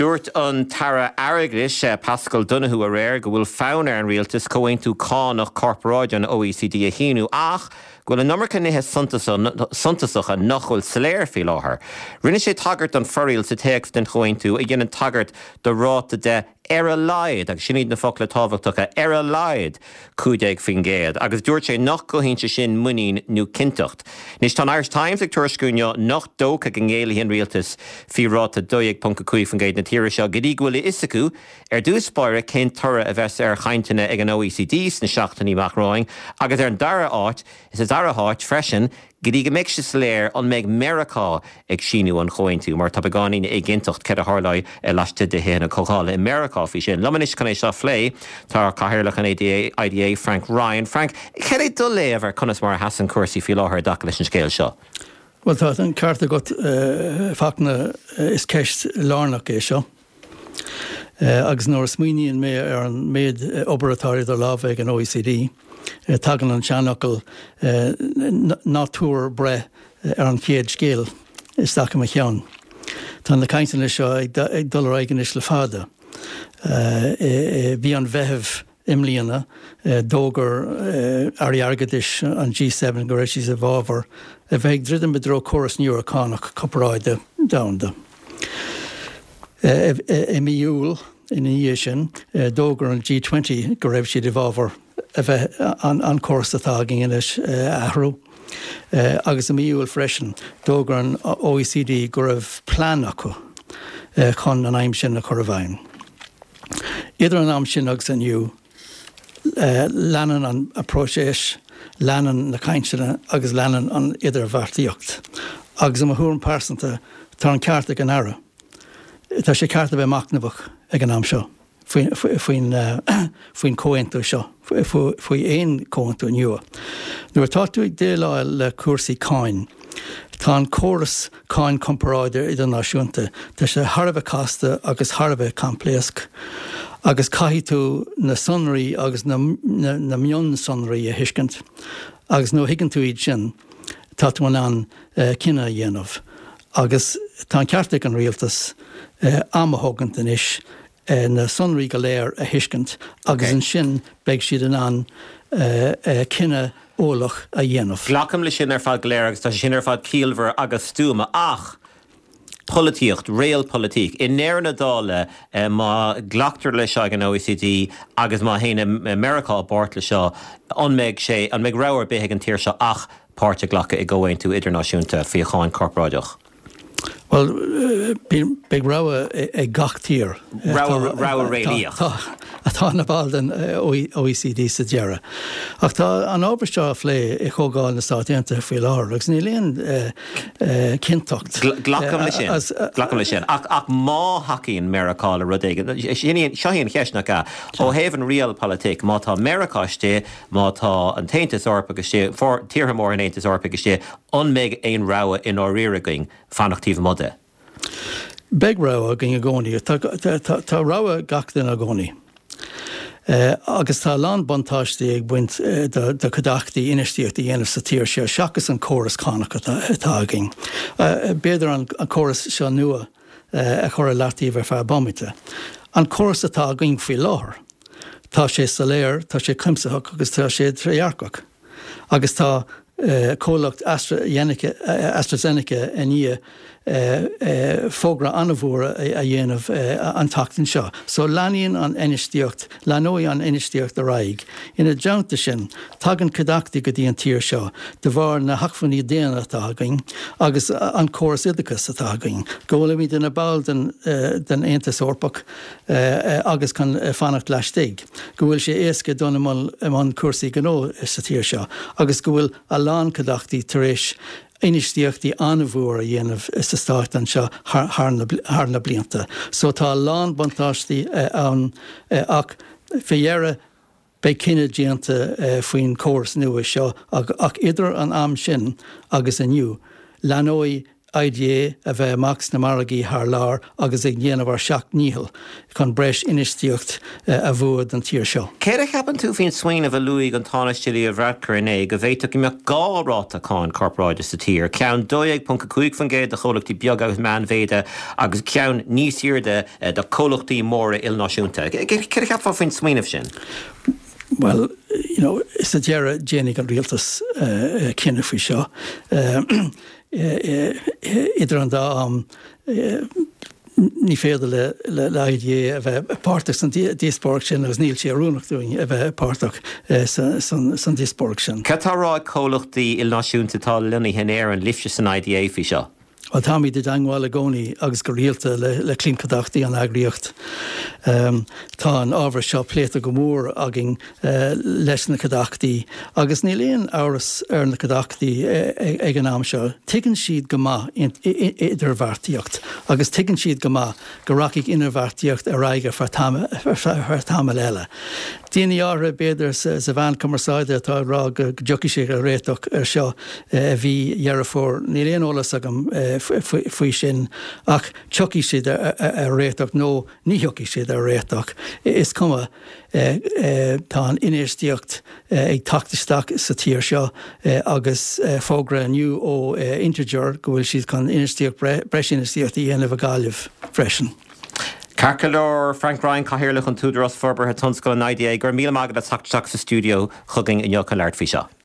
Dúirt an tAire Airgeadais, Paschal Donohoe aréir go bhfuil fonn ar an rialtas comhaontú cánach corparáide an OECD a shíniú ach go bhfuil an iomarca nithe suntasacha nach bhfuil soiléir faoi láthair. Rinne sé tagairt don fhoraíl sa téacs den chomhaontú a dhéanann tagairt do ráta de ar a laghad, agus sin iad na focla tábhachtacha, ar a laghad 15%, agus dúirt sé nach gcothaíonn sé sin muinín nó cinnteacht. Anois tá an Irish Times ag tuairisciú inniu nach dócha go ngéillfidh an rialtas faoi ráta 12.5% na tíre seo go dtí go bhfuil a fhios acu ar dtús báire cén toradh a bheas ar chainteanna ag an OECD sna seachtainí amach romhainn agus ar an dara háit, sa dara háit freisin, Go dtí go mbeidh sé soiléir an mbeidh Meiriceá ag síniú an chomhaontú, mar tá beagáinín éiginnteacht céard a tharlóidh laistigh de Thithe na Comhdhála i Meiriceá faoi sin. Liom anois chun é seo a phlé tá Cathaoirleach an IDA, Frank Ryan. Frank, cad é do léamh ar conas mar a sheasann cúrsaí faoi láthair i dtaca leis an scéal seo? Bhuel, tá an ceart agat, a Fachtna, is ceist lárnach é seo. Agus nuair a smaoiníonn mé ar an méid obair atá idir lámha ag an OECD, tagann an seanfhocal 'ná tabhair breith ar an chéad scéal' isteach i mo cheann. Tá na cainteanna seo ag dul ar aghaidh anois le fada. I mhí an Mheithimh I mbliana, d'fhógair Airí Airgeadais an G7 go raibh siad i bhfabhar a bheith ag druidim i dtreo córas nua cánach corparáide domhanda. I mí Iúil ina dhiaidh sin, d'fhógair an G20 go raibh siad i bhfabhar a bheith an córas atá againn anois a athrú. Agus i mí Iúil freisin, d'fhógair an OECD go raibh plean acu chun an aidhm sin a chur i bhfeidhm. Idir an am sin agus inniu, leanann an próiseas, leanann na cainteanna agus leanann an idirbheartaíocht. Agus i mo thuairim pearsanta, tá an ceart ag an Aire. Tá sé ceart a bheith machnamhach ag an am seo faoin faoin chomhaontú seo, faoi aon chomhaontú nua. Nuair atá tú ag déileáil le cúrsaí cáin, tá an córas Cáin Corparáide Idirnáisiúnta. Tá sé thar a bheith casta agus thar a bheith coimpléasc agus caithfidh tú na sonraí agus na mionsonraí a thuiscint agus nuair a thuigeann tú iad sin tá tú in ann cinneadh a dhéanamh. Agus tá an ceart ag an rialtas am a thógaint anois na sonraí go léir a thuiscint agus ansin beidh siad in ann cinneadh eolach a dhéanamh. Glacaim leis sin ar fad go léir agus tá sé sin ar fad ciallmhar agus stuama ach polaitíocht, realpolitik, i ndeireadh na dála má ghlactar leis seo ag an OECD agus má théann Meiriceá i bpáirt leis seo, an mbeidh sé, an mbeidh rogha ar bith ag an tír seo ach páirt a ghlacadh i gcomhaontú idirnáisiúnta faoi cháin chorparáideach? Bhuel, beidh rogha ag gach tír. Rogha réalaíoch. Atá ina ball den OECD sa deireadh. Ach tá an ábhar seo á phlé i Comhdháil na Stát Aontaithe faoi láthair agus níl aon chinnteacht. Glacaim leis sin. Glacaim leis sin. Ach má thacaíonn Meiriceá le rud éigin, seo í an cheist, nach ea? Ó thaobh an realpolitik, má tá Meiriceá istigh, má tá an tAontas Eorpach istigh, tíortha móra an Aontais Eorpaigh istigh, An mbeidh aon rogha i ndáiríre againn fanacht taobh amuigh de? Beidh rogha againn i gcónaí. Tá rogha ag gach duine i gcónaí. Agus tá a lán buntáistí ag baint do chuideachtaí infheistíocht a dhéanamh sa tír seo seachas an córas cánach atá againn. B'fhéidir an córas seo nua a chur i leataobh ar feadh bomaite. An córas atá againn faoi láthair, tá sé soiléir, tá sé cuimsitheach agus tá sé trédhearcach. Agus tá comhlacht AstraZeneca i ndiaidh fógra an-mhór a dhéanamh an tseachtain seo. So leanann an infheistíocht, leanóidh an infheistíocht ar aghaidh. Ina dteannta sin, tagann cuideachtaí go dtí an tír seo de bharr na hacmhainní daonna atá againn agus an córas oideachais atá againn, go bhfuilimid ina ball den Aontas Eorpach agus chun fanacht laistigh. go bhfuil sé éasca dul i mbun cúrsaí gnó sa tír seo agus go bhfuil a lán cuideachtaí tar éis infheistíochtaí an-mhór a dhéanamh sa Stát anseo thar na blianta. So tá a lán buntáistí ann ach fé dheireadh beidh cinneadh déanta faoin chóras nua seo ach idir an am sin agus inniu leanóidh. IDA a bheith amach sna margaí thar lear agus ag déanamh ár seacht ndícheall chun breis infheistíocht a bhua don tír seo. Céard a cheapann tú faoin smaoineamh a luaigh an Tánaiste Leo Varadkar inné go bhféadfadh go mbeadh 2 ráta cáin corparáide sa tír, ceann 12.5% do chomhlachtaí beaga agus meánmhéide agus ceann níos airde do chomhlachtaí móra ilnáisiúnta? Céard a cheapfá faoin smaoineamh sin? Bhuel, you know, sa deireadh déanfaidh an rialtas cinneadh faoi seo. Idir an dá am, ní féidir le IDA a bheith páirteach san díospóireacht sin agus níl sé oiriúnach dúinn a bheith páirteach san díospóireacht sin. Cad tá á rá ag comhlachtaí ilnáisiúnta atá lonnaithe in Éirinn libhse san IDA faoi seo? Bhuel, táimid i dteangmháil i gcónaí agus go rialta le cliantchuideachtaí an eagraíocht. Tá an ábhar seo pléite go mór againn leis na cuideachtaí agus níl aon amhras ar na cuideachtaí ag an am seo. Tuigeann siad go maith idirbheartaíocht agus tuigeann siad go maith go rachaidh idirbheartaíocht ar aghaidh ar feadh tamaill eile. Daoine áirithe, b'fhéidir, sa mheán cumarsáide atá ag rá go dtiocfaidh siad ar réiteach ar seo i mhí Dheireadh Fómhair. Níl aon eolas agam faoi sin ach tiocfaidh siad ar réiteach nó ní thiocfaidh siad ar réiteach. Is cuma. Tá an infheistíocht ag teacht isteach sa tír seo agus fógra inniu ó Integer go bhfuil siad chun infheistíocht, breis infheistíocht a dhéanamh i Gaillimh freisin. Ceart go leor, Frank Ryan, Cathaoirleach an tÚdarás Forbartha Tionscail, an IDA, go raibh míle maith agat as teacht isteach sa stiúideo chugainn inniu chun labhairt faoi seo.